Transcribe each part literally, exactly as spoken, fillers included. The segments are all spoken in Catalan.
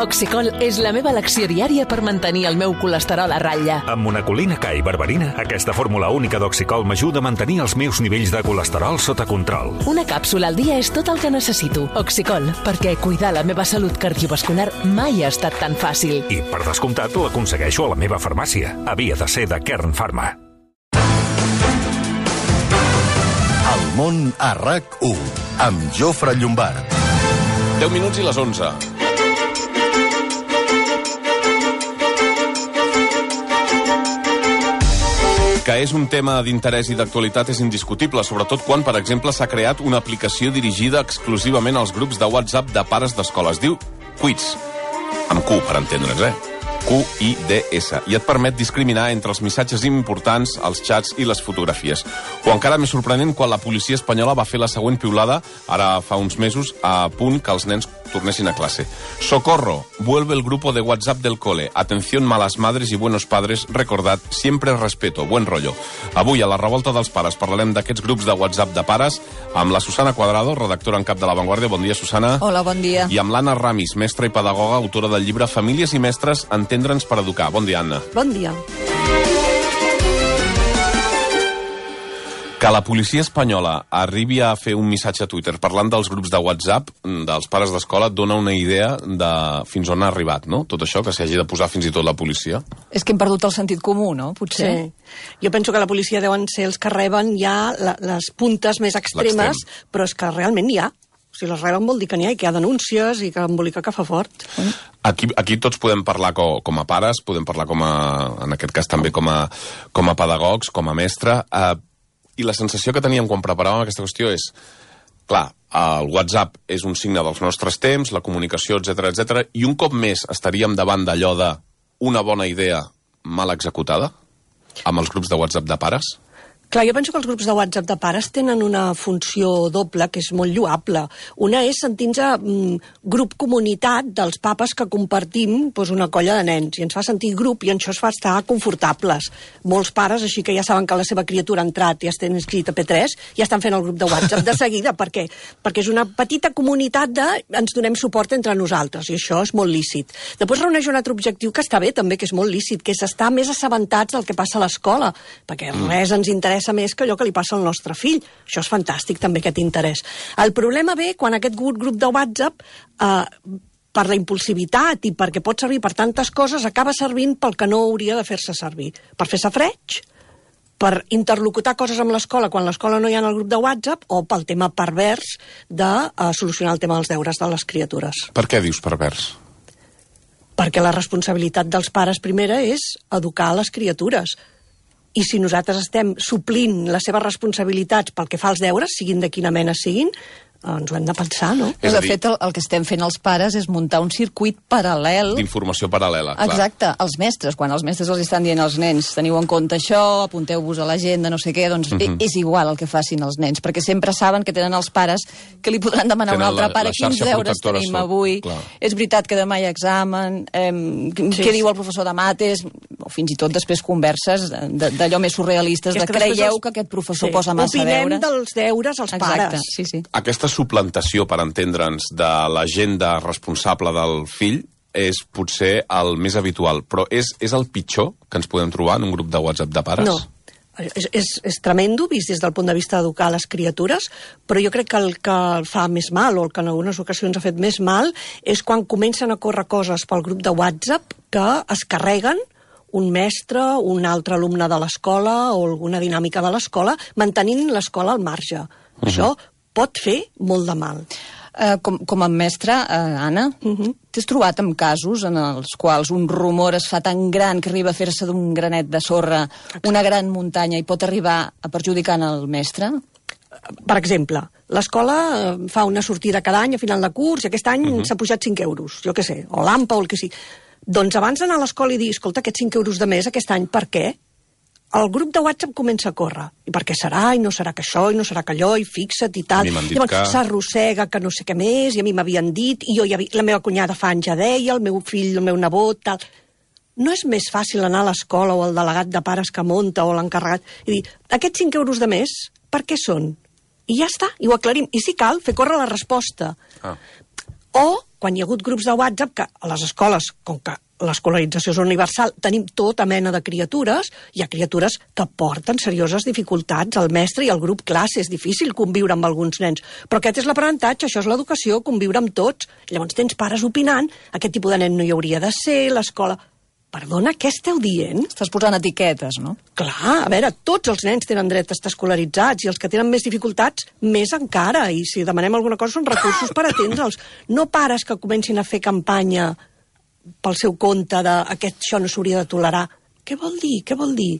Oxicol és la meva elecció diària per mantenir el meu colesterol a ratlla. Amb monacolina K i berberina, aquesta fórmula única d'Oxicol m'ajuda a mantenir els meus nivells de colesterol sota control. Una càpsula al dia és tot el que necessito. Oxicol, perquè cuidar la meva salut cardiovascular mai ha estat tan fàcil. I, per descomptat, l'aconsegueixo a la meva farmàcia. Havia de ser de Kern Pharma. El món a RAC u, amb Jofre Llombard. deu minuts i les onze. Que és un tema d'interès i d'actualitat és indiscutible, sobretot quan, per exemple, s'ha creat una aplicació dirigida exclusivament als grups de WhatsApp de pares d'escola. Es diu Quiz, amb Q, per entendre'ns, eh? Q I D S, i et permet discriminar entre els missatges importants, els xats i les fotografies. O encara més sorprenent, quan la policia espanyola va fer la següent piulada, ara fa uns mesos, a punt que els nens tornessin a classe. Socorro, vuelve el grupo de WhatsApp del cole. Atención, malas madres y buenos padres, recordad, siempre respeto, buen rollo. Avui, a la revolta dels pares, parlarem d'aquests grups de WhatsApp de pares amb la Susana Cuadrado, redactora en cap de La Vanguardia. Bon dia, Susana. Hola, bon dia. I amb l'Anna Ramis, mestra i pedagoga, autora del llibre Famílies i mestres, entendre'ns per educar. Bon dia, Anna. Bon dia. Que la policia espanyola arribi a fer un missatge a Twitter parlant dels grups de WhatsApp dels pares d'escola dona una idea de fins on ha arribat, no? Tot això, que s'hagi de posar fins i tot la policia. És que hem perdut el sentit comú, no? Potser. Sí. Jo penso que la policia deuen ser els que reben ja la, les puntes més extremes, però és que realment n'hi ha. Si les reben vol dir que n'hi ha i que hi ha denúncies i que embolica que fa fort. Aquí, aquí tots podem parlar com, com a pares, podem parlar com a, en aquest cas també com a, com a pedagogs, com a mestre. Eh, I la sensació que teníem quan preparàvem aquesta qüestió és, clar, el WhatsApp és un signe dels nostres temps, la comunicació, etcètera, etcètera, i un cop més estaríem davant d'allò de una bona idea mal executada amb els grups de WhatsApp de pares? Clar, jo penso que els grups de WhatsApp de pares tenen una funció doble que és molt lloable. Una és sentir-nos mm, grup comunitat dels papes que compartim doncs, una colla de nens, i ens fa sentir grup i això ens fa estar confortables. Molts pares, així que ja saben que la seva criatura ha entrat i ja està inscrit a P tres, ja estan fent el grup de WhatsApp de seguida. Per què? Perquè és una petita comunitat de ens donem suport entre nosaltres, i això és molt lícit. Després reuneix un altre objectiu que està bé també, que és molt lícit, que és estar més assabentats del que passa a l'escola, perquè res ens interessa més que allò que li passa al nostre fill. Això és fantàstic, també, aquest interès. El problema ve quan aquest grup de WhatsApp, eh, per la impulsivitat i perquè pot servir per tantes coses, acaba servint pel que no hauria de fer-se servir. Per fer safreig, per interlocutar coses amb l'escola quan l'escola no hi ha en el grup de WhatsApp, o pel tema pervers de eh, solucionar el tema dels deures de les criatures. Per què dius pervers? Perquè la responsabilitat dels pares primera és educar les criatures. I si nosaltres estem suplint les seves responsabilitats pel que fa als deures, siguin de quina mena siguin, ens ho hem de pensar, no? De fet, el, el que estem fent els pares és muntar un circuit paral·lel. D'informació paral·lela, clar. Exacte, els mestres, quan els mestres els estan dient als nens teniu en compte això, apunteu-vos a l'agenda, no sé què, doncs uh -huh. és igual el que facin els nens, perquè sempre saben que tenen els pares que li podran demanar a un altre pare quins deures tenim sol. avui, clar. És veritat que demà hi ha examen, eh, sí, què diu el professor de mates, o fins i tot després converses d'allò més surrealistes, de creieu que aquest professor sí. posa massa deures. Opinem dels deures als Exacte, pares. Sí, sí. Aquesta suplantació, per entendre'ns, de l'agenda responsable del fill és potser el més habitual, però és, és el pitjor que ens podem trobar en un grup de WhatsApp de pares? No. És, és, és tremendo, vist des del punt de vista d'educar les criatures, però jo crec que el que fa més mal, o el que en algunes ocasions ha fet més mal, és quan comencen a córrer coses pel grup de WhatsApp que es carreguen un mestre, un altre alumne de l'escola o alguna dinàmica de l'escola, mantenint l'escola al marge. Uh-huh. Això pot fer molt de mal. Uh, com, com a mestra, uh, Anna, uh-huh. t'has trobat amb casos en els quals un rumor es fa tan gran que arriba a fer-se d'un granet de sorra Exacte. una gran muntanya i pot arribar a perjudicar el mestre? Per exemple, l'escola fa una sortida cada any a final de curs i aquest any uh-huh. s'ha pujat cinc euros, jo què sé, o l'AMPA o el que sigui. Doncs abans d'anar a l'escola i dir, escolta, aquests cinc euros de més aquest any, per què? El grup de WhatsApp comença a córrer. I per què serà, i no serà que això, i no serà que allò, i fixa't i tal. I llavors que... s'arrossega que no sé què més, i a mi m'havien dit, i jo ja vi... la meva cunyada fa anys ja deia, el meu fill, el meu nebot, tal. No és més fàcil anar a l'escola o al delegat de pares que munta o l'encarregat i dir, aquests cinc euros de més, per què són? I ja està, i ho aclarim. I si cal, fer córrer la resposta. Ah. O quan hi ha hagut grups de WhatsApp, que a les escoles, com que l'escolarització és universal, tenim tota mena de criatures, hi ha criatures que porten serioses dificultats al mestre i al grup classe, és difícil conviure amb alguns nens, però aquest és l'aprenentatge, això és l'educació, conviure amb tots. Llavors tens pares opinant, aquest tipus de nen no hi hauria de ser, l'escola... Perdona, què esteu dient? Estàs posant etiquetes, no? Clar, a veure, tots els nens tenen dret a estar escolaritzats i els que tenen més dificultats, més encara, i si demanem alguna cosa són recursos per atendre'ls. No pares que comencin a fer campanya pel seu compte de aquest això no s'hauria de tolerar. Què vol dir? Què vol dir?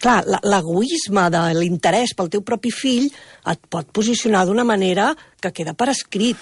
Clar, l'egoisme de l'interès pel teu propi fill et pot posicionar d'una manera que queda per escrit.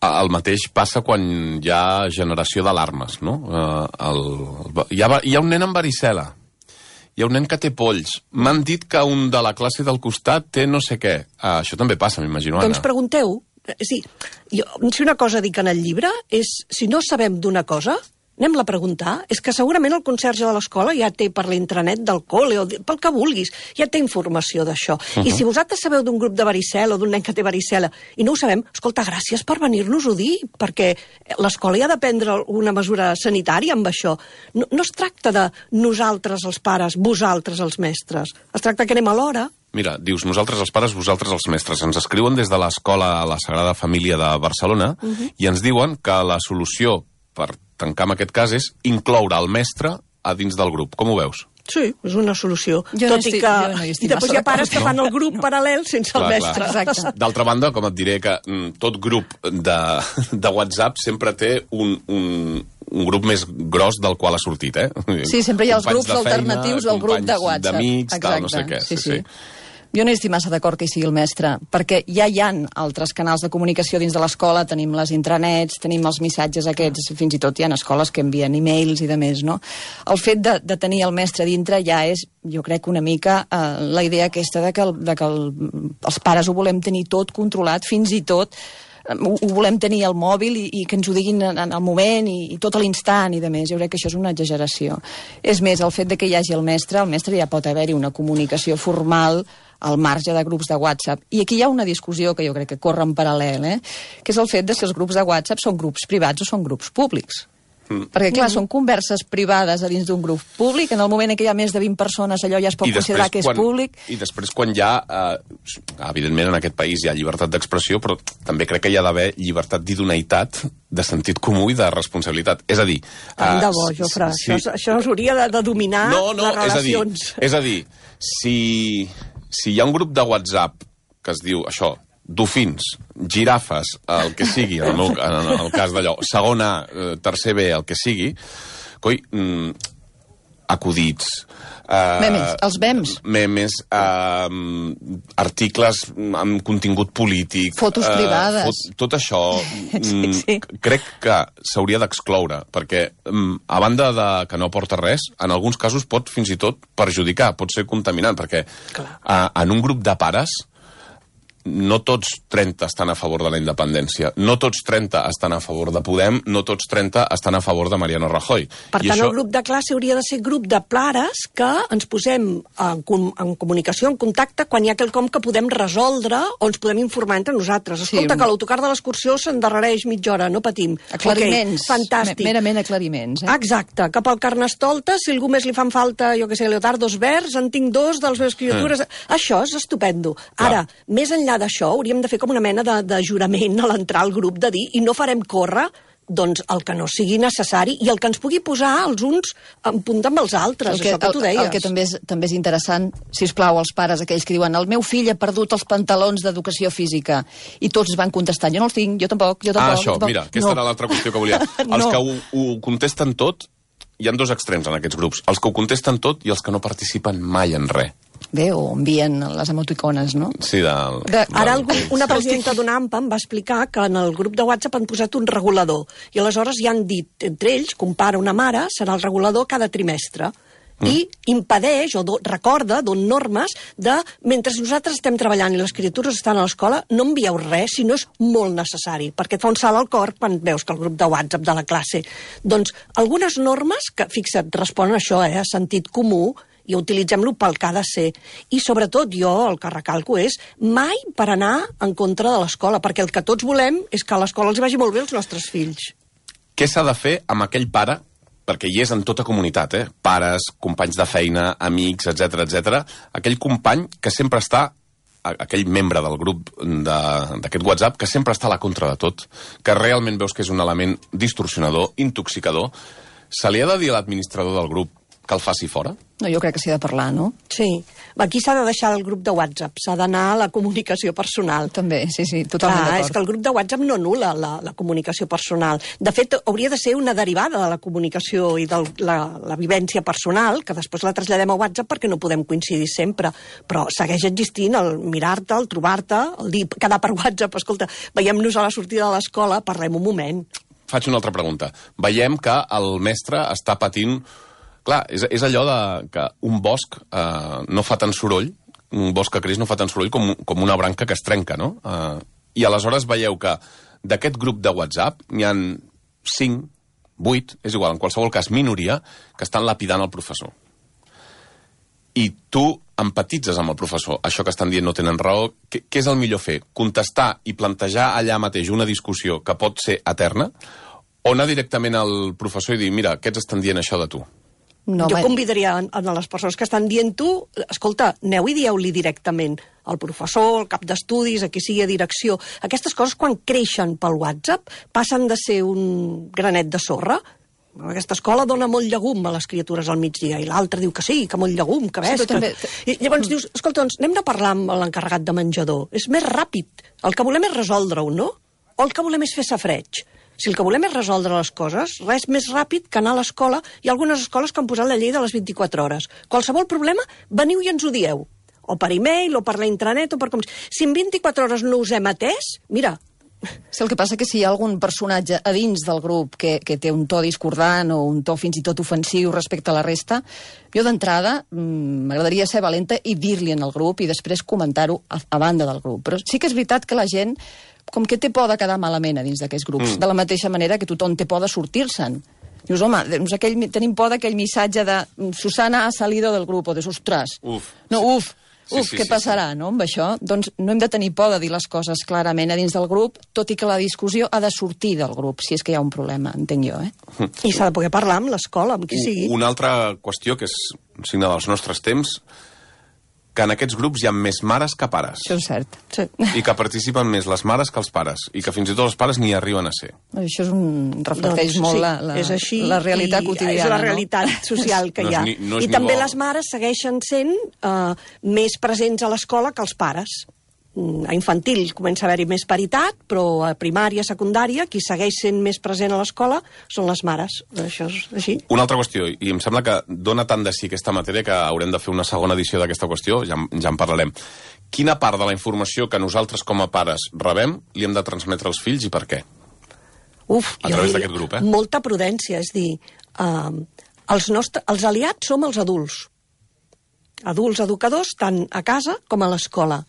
El mateix passa quan hi ha generació d'alarmes, no? Uh, el, hi, ha, hi ha un nen amb varicel·la, hi ha un nen que té polls, m'han dit que un de la classe del costat té no sé què. Uh, això també passa, m'imagino, Anna. Doncs pregunteu. Sí, jo, si una cosa dic en el llibre és, si no sabem d'una cosa, anem-la a preguntar. És que segurament el conserge de l'escola ja té per l'intranet del col·le o pel que vulguis, ja té informació d'això. Uh -huh. I si vosaltres sabeu d'un grup de varicel·la o d'un nen que té varicel·la i no ho sabem, escolta, gràcies per venir-nos-ho dir, perquè l'escola ja ha de prendre una mesura sanitària amb això. No, no es tracta de nosaltres els pares, vosaltres els mestres. Es tracta que anem a l'hora. Mira, dius, nosaltres els pares, vosaltres els mestres. Ens escriuen des de l'escola a la Sagrada Família de Barcelona uh -huh. i ens diuen que la solució per tancar amb aquest cas és incloure el mestre a dins del grup. Com ho veus? Sí, és una solució. Jo Tot no estic, i que... jo no hi estic I després hi ha pares que no? fan el grup no. paral·lel sense clar, el mestre. Exacte. D'altra banda, com et diré que mm, tot grup de, de WhatsApp sempre té un, un, un grup més gros del qual ha sortit, eh? Sí, sempre hi ha els Companys grups feina, alternatius al grup de WhatsApp. D'amics, tal, no sé què. Sí, sí. sí. Jo no hi estic massa d'acord que hi sigui el mestre, perquè ja hi ha altres canals de comunicació dins de l'escola, tenim les intranets, tenim els missatges aquests, fins i tot hi ha escoles que envien e-mails i de més, no? El fet de, de tenir el mestre dintre ja és, jo crec, una mica eh, la idea aquesta de que, el, de que el, els pares ho volem tenir tot controlat, fins i tot ho, ho volem tenir al mòbil i, i que ens ho diguin en, en el moment i, i tot a l'instant i de més. Jo crec que això és una exageració. És més, el fet de que hi hagi el mestre, el mestre ja pot haver-hi una comunicació formal al marge de grups de WhatsApp. I aquí hi ha una discussió que jo crec que corre en paral·lel, eh? que és el fet de si els grups de WhatsApp són grups privats o són grups públics. Mm. Perquè, clar, mm. són converses privades a dins d'un grup públic, en el moment en què hi ha més de vint persones allò ja es pot considerar que és quan, públic. I després quan hi ha, eh, evidentment en aquest país hi ha llibertat d'expressió, però també crec que hi ha d'haver llibertat d'idoneïtat, de sentit comú i de responsabilitat. És a dir... Tant de bo, Jofre, sí, això, això s'hauria de, de dominar no, no, les relacions. És a dir, és a dir si... Si hi ha un grup de WhatsApp que es diu això, dofins, girafes, el que sigui, en el, meu, en el cas d'allò, segon A, tercer B, el que sigui, coi, mm, acudits... Uh, memes, els memes. Memes, uh, articles amb contingut polític... Fotos uh, privades. Fot, tot això, sí, sí. crec que s'hauria d'excloure, perquè um, a banda de que no aporta res, en alguns casos pot fins i tot perjudicar, pot ser contaminant, perquè uh, en un grup de pares no tots trenta estan a favor de la independència, no tots trenta estan a favor de Podem, no tots trenta estan a favor de Mariano Rajoy. Per I tant, això... el grup de classe hauria de ser grup de pares que ens posem en, com, en comunicació, en contacte, quan hi ha quelcom que podem resoldre o ens podem informar entre nosaltres. Escolta, sí, que l'autocar de l'excursió s'endarrereix mitja hora, no patim. Aclariments. Okay, fantàstic. Merament aclariments. Eh? Exacte. Cap al Carnestoltes, si algú més li fan falta, jo què sé, leotardos verds, en tinc dos dels meves criatures... Mm. Això és estupendo. Ara, Clar. més enllà d'això, hauríem de fer com una mena de, de jurament a l'entrar al grup de dir, i no farem córrer doncs el que no sigui necessari i el que ens pugui posar els uns en punta amb els altres, el que, això que tu deies. El, el que també és, també és interessant, sisplau, els pares aquells que diuen el meu fill ha perdut els pantalons d'educació física i tots van contestant, jo no els tinc, jo tampoc, jo tampoc. Ah, això, tampoc. mira, aquesta no. era l'altra qüestió que volia. Els no. que ho, ho contesten tot, hi ha dos extrems en aquests grups, els que ho contesten tot i els que no participen mai en res. Bé, o envien les emoticones, no? Sí, del... De, ara algú, una presidenta d'una AMPA em va explicar que en el grup de WhatsApp han posat un regulador i aleshores ja han dit entre ells, compara una mare, serà el regulador cada trimestre. Mm. I impedeix o do, recorda, don normes de, mentre nosaltres estem treballant i les criatures estan a l'escola, no envieu res si no és molt necessari, perquè et fa un salt al cor quan veus que el grup de WhatsApp de la classe... Doncs algunes normes que, fixa't, responen a això, eh, a sentit comú, i utilitzem-lo pel que ha de ser. I sobretot jo el que recalco és mai per anar en contra de l'escola, perquè el que tots volem és que a l'escola els vagi molt bé els nostres fills. què s'ha de fer amb aquell pare, perquè hi és en tota comunitat, eh? Pares, companys de feina, amics, etcètera, etcètera, aquell company que sempre està, aquell membre del grup d'aquest WhatsApp, que sempre està a la contra de tot, que realment veus que és un element distorsionador, intoxicador, se li ha de dir a l'administrador del grup que el faci fora? No, jo crec que s'hi ha de parlar, no? Sí. Aquí s'ha de deixar el grup de WhatsApp, s'ha d'anar a la comunicació personal. També, sí, sí, totalment Clar, d'acord. és que el grup de WhatsApp no anul·la la, la comunicació personal. De fet, hauria de ser una derivada de la comunicació i de la, la vivència personal, que després la traslladem a WhatsApp perquè no podem coincidir sempre. Però segueix existint el mirar-te, el trobar-te, el dir, quedar per WhatsApp, escolta, veiem-nos a la sortida de l'escola, parlem un moment. Faig una altra pregunta. Veiem que el mestre està patint... Clar, és, és allò de que un bosc eh, no fa tant soroll, un bosc que creix no fa tant soroll com, com una branca que es trenca, no? Eh, I aleshores veieu que d'aquest grup de WhatsApp n'hi ha cinc, vuit, és igual, en qualsevol cas minoria, que estan lapidant el professor. I tu empatitzes amb el professor. Això que estan dient no tenen raó. Què, què és el millor fer? Contestar i plantejar allà mateix una discussió que pot ser eterna? O anar directament al professor i dir, mira, aquests estan dient això de tu? No, jo convidaria a les persones que estan dient tu, escolta, aneu i dieu-li directament al professor, al cap d'estudis, a qui sigui a direcció. Aquestes coses, quan creixen pel WhatsApp, passen de ser un granet de sorra. Aquesta escola dona molt llegum a les criatures al migdia, i l'altre diu que sí, que molt llegum, que ves. Sí, que... també... I llavors dius, escolta, doncs anem a parlar amb l'encarregat de menjador. És més ràpid. El que volem és resoldre-ho, no? O el que volem és fer safreig? Si el que volem és resoldre les coses, res més ràpid que anar a l'escola. Hi ha algunes escoles que han posat la llei de les vint-i-quatre hores. Qualsevol problema, veniu i ens ho dieu. O per e-mail, o per la intranet, o per com... Si en vint-i-quatre hores no us hem atès, mira... Sí, el que passa que si hi ha algun personatge a dins del grup que, que té un to discordant o un to fins i tot ofensiu respecte a la resta, jo d'entrada m'agradaria ser valenta i dir-li en el grup i després comentar-ho a, a banda del grup. Però sí que és veritat que la gent com que té por de quedar malament a dins d'aquests grups, mm. de la mateixa manera que tothom té por de sortir-se'n. Dius, home, doncs aquell, tenim por d'aquell missatge de Susana ha salido del grup, o de ostres. Uf. No, uf, uf, sí, sí, què sí, passarà, sí. no, amb això? Doncs no hem de tenir por de dir les coses clarament a dins del grup, tot i que la discussió ha de sortir del grup, si és que hi ha un problema, entenc jo, eh? I s'ha de poder parlar amb l'escola, amb qui sigui. Una altra qüestió, que és un signe dels nostres temps, que en aquests grups hi ha més mares que pares. Això és cert. Sí. I que participen més les mares que els pares. I que fins i tot els pares n'hi arriben a ser. Això és un... reflecteix doncs, molt sí, la, la, és així, la realitat quotidiana. És la realitat no? social que no hi ha. Ni, no I també bo. les mares segueixen sent uh, més presents a l'escola que els pares. A infantil comença a haver-hi més paritat, però a primària, secundària, qui segueix sent més present a l'escola són les mares. Això és així. Una altra qüestió, i em sembla que dona tant de sí aquesta matèria que haurem de fer una segona edició d'aquesta qüestió, ja, ja en parlarem. Quina part de la informació que nosaltres com a pares rebem li hem de transmetre als fills i per què? Uf, a través d'aquest grup, eh? Molta prudència, és dir, uh, els, nostres, els aliats som els adults. Adults educadors, tant a casa com a l'escola.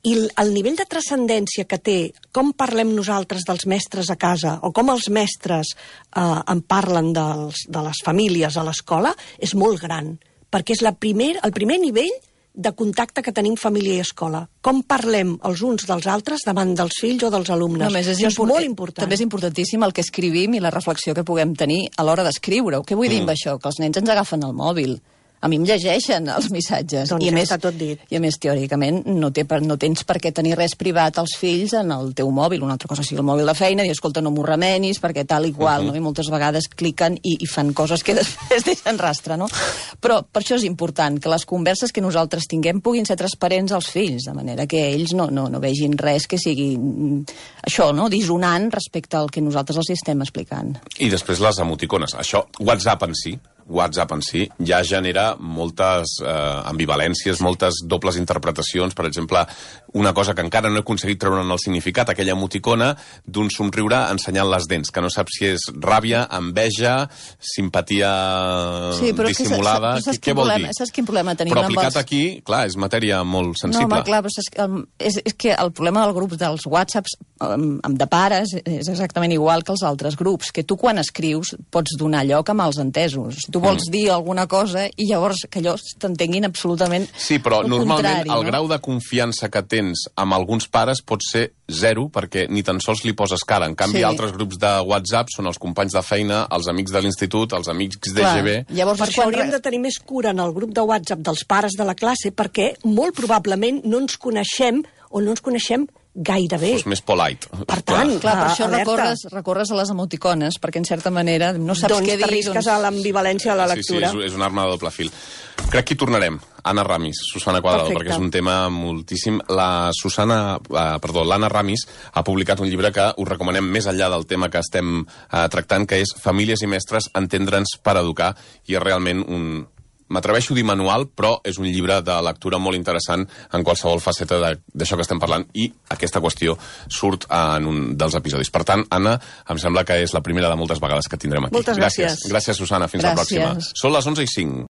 I el nivell de transcendència que té com parlem nosaltres dels mestres a casa o com els mestres eh, en parlen dels, de les famílies a l'escola és molt gran, perquè és la primer, el primer nivell de contacte que tenim família i escola. Com parlem els uns dels altres davant dels fills o dels alumnes. No, és, és, és molt important. També és importantíssim el que escrivim i la reflexió que puguem tenir a l'hora d'escriure-ho. Què vull mm. dir amb això? Que els nens ens agafen el mòbil. A mi em llegeixen els missatges. Doncs I a ja més, està tot dit. I a més, teòricament, no, té per, no tens per què tenir res privat als fills en el teu mòbil. Una altra cosa sigui el mòbil de feina, i escolta, no m'ho remenis, perquè tal i qual, uh -huh. no? I moltes vegades cliquen i, i fan coses que després deixen rastre, no? Però per això és important que les converses que nosaltres tinguem puguin ser transparents als fills, de manera que ells no, no, no vegin res que sigui això, no? Dissonant respecte al que nosaltres els estem explicant. I després les emoticones. Això, WhatsApp en si, WhatsApp en si ja genera moltes eh, ambivalències, moltes dobles interpretacions. Per exemple, una cosa que encara no he aconseguit treure'n el significat, aquella emoticona d'un somriure ensenyant les dents, que no saps si és ràbia, enveja, simpatia sí, dissimulada. Que, saps, què vol problema, dir? Saps quin problema tenim? Però aplicat els... aquí, clar, és matèria molt sensible. No, home, clar, però és, és, és que el problema del grup dels WhatsApps amb de pares és exactament igual que els altres grups, que tu quan escrius pots donar lloc a mals entesos. Tu tu vols mm. dir alguna cosa i llavors que allò t'entenguin absolutament sí, però el normalment contrari, el no? grau de confiança que tens amb alguns pares pot ser zero, perquè ni tan sols li poses cara. En canvi, Sí. altres grups de WhatsApp són els companys de feina, els amics de l'institut, els amics de G B. Llavors, Per això quan hauríem re- de tenir més cura en el grup de WhatsApp dels pares de la classe, perquè molt probablement no ens coneixem o no ens coneixem gairebé. Fos més polite. Per tant, Clar, per Ah, això alerta. recorres, recorres a les emoticones, perquè en certa manera no saps doncs què dir. t'arrisques a l'ambivalència de la lectura. Sí, sí, és, és una arma de doble fil. Crec que hi tornarem. Anna Ramis, Susana Cuadrado, Perfecte. perquè és un tema moltíssim. La Susana, eh, perdó, l'Anna Ramis ha publicat un llibre que us recomanem més enllà del tema que estem eh, tractant, que és Famílies i mestres, entendre'ns per educar, i és realment un... M'atreveixo a dir manual, però és un llibre de lectura molt interessant en qualsevol faceta de- d'això que estem parlant, i aquesta qüestió surt en un dels episodis. Per tant, Anna, em sembla que és la primera de moltes vegades que tindrem aquí. Moltes gràcies. Gràcies, gràcies Susana. Fins Gràcies. la pròxima. Són les onze i cinc.